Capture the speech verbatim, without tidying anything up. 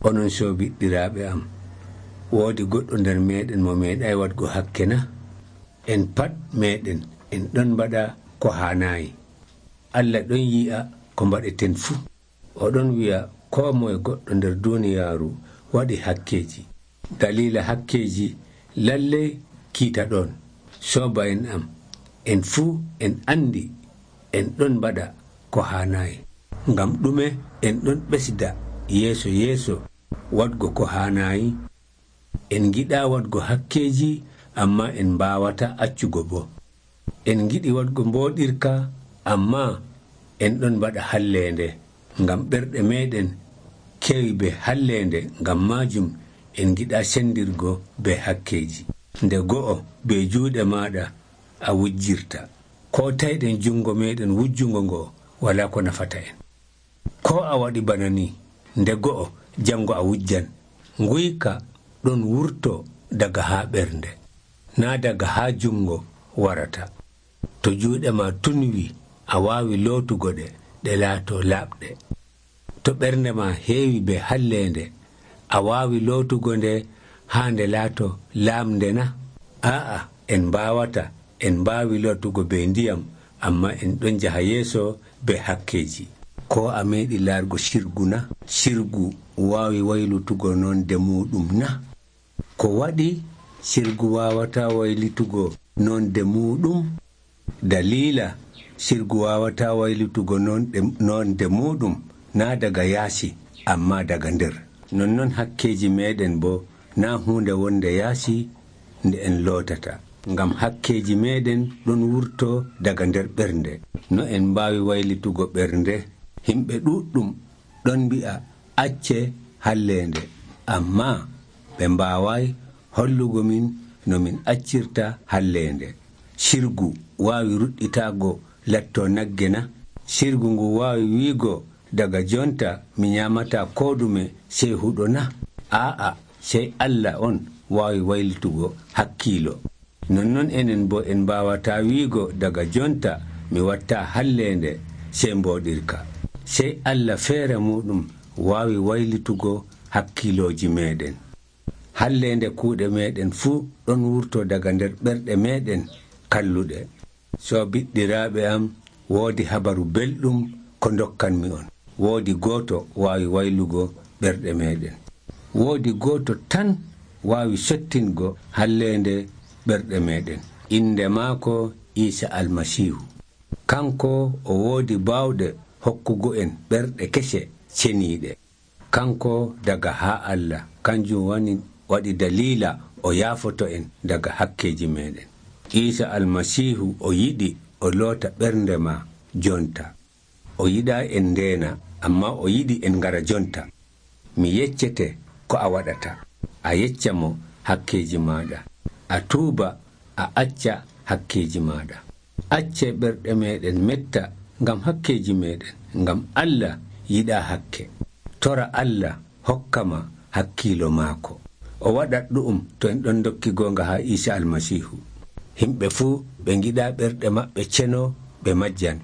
Onon sobiɗɗiraaɓe am, woodi goɗɗo nder meeɗen mo meeɗay waɗgo hakke na? En pat meeɗen en ɗon mbaɗa ko haanaayi. Allah ɗon yi'a ko mbaɗeten fuu. Oɗon wi'a koo moye goɗɗo nder duuniyaaru waɗi hakkeeji. Daliila hakkeeji lallay kiita ɗon. Sooba'en am, en fuu en anndi en ɗon mbaɗa ko haanaayi. Ngam ɗume en ɗon ɓesda yeeso yeeso waɗgo ko haanaayi? En ngiɗaa waɗgo hakkeeji, ammaa en mbaawata accugo boo. En ngiɗi waɗgo mbooɗirka, ammaa en ɗon mbaɗa halleende. Ngam ɓerɗe meeɗen kewi be halleende, ngam maajum en ngiɗaa senndirgo be hakkeeji. Nde go'o be juuɗe maaɗa a wujjirta. Koo tayɗen junngo meeɗen wujjungo ngoo walaa ko nafata en. Koo a waɗi bana ni, nde go'o janngo a wujjan. Nguyka ɗon wurto daga haa ɓernde, naa daga haa junngo warata. To juuɗe maa tunwi, a waawi lootugo ɗe ɗe laatoo laaɓɗe. To ɓernde maa heewi be halleende, a waawi lootugo nde haa nde laatoo laamnde na? Aa'a, en mbaawata. En mbaawi lootugo be ndiyam, ammaa en ɗon njaha yeeso be hakkeeji. Koo a meeɗi laargo sirgu na? Sirgu waawi waylutugo nonde muuɗum na? Ko waɗi sirgu waawataa waylitugo nonde muuɗum? Daliila sirgu waawataa waylitugo nonde muuɗum naa daga yaasi, ammaa daga nder. Nonnon hakkeeji meeɗen boo naa huunde wonde yaasi nde en lootata. Ngam hakkeeji meeɗen ɗon wurtoo daga nder ɓernde. No en mbaawi waylitugo ɓernde? Himɓe ɗuuɗɗum ɗon mbi'a acce halleende, ammaa ɓe mbaaway hollugo min no min accirta halleende. Sirgu waawi ruɗɗitaago lattoo nagge na? Sirgu ngu waawi wiigo daga jonta mi nyaamataa koo ɗume sey huɗo na? Aa'a, sey Allah on waawi waylitugo hakkiilo. Nonnon enen boo en mbaawataa wiigo daga jonta mi wattaa halleende sey mbooɗirka. Sey Allah feere muɗum waawi waylitugo hakkiilooji meeɗen. Halleende kuuɗe meeɗen fuu ɗon wurtoo daga nder ɓerɗe meeɗen kalluɗe. Soobiɗɗiraaɓe am, woodi habaru belɗum ko ndokkanmi on. Woodi gooto waawi waylugo ɓerɗe meeɗen. Woodi gooto tan waawi sottingo halleende ɓerɗe meeɗen. Innde maako Iisa Almasiihu. Kanko o woodi baawɗe hokkugo en ɓerɗe kese ceniiɗe. Kanko daga haa Allah, kanjum wani waɗi daliila o yaafoto en daga hakkeeji meeɗen. Iisa Almasiihu o yiɗi o loota ɓernde ma jonta. O yiɗaa en ndeena, ammaa o yiɗi en ngara jonta. Mi yeccete ko a waɗata. A yecca mo hakkeeji maaɗa. A tuuba, a acca hakkeeji maaɗa. Acce ɓerɗe meeɗen metta ngam hakkeeji meeɗen, ngam Allah yiɗaa hakke. Tora Allah hokka ma hakkiilo maako. O waɗat ɗu'um to en ɗon dokki goonga haa Iisa Almasiihu. Himɓe fuu ɓe ngiɗaa ɓerɗe maɓɓe ceno ɓe majjan.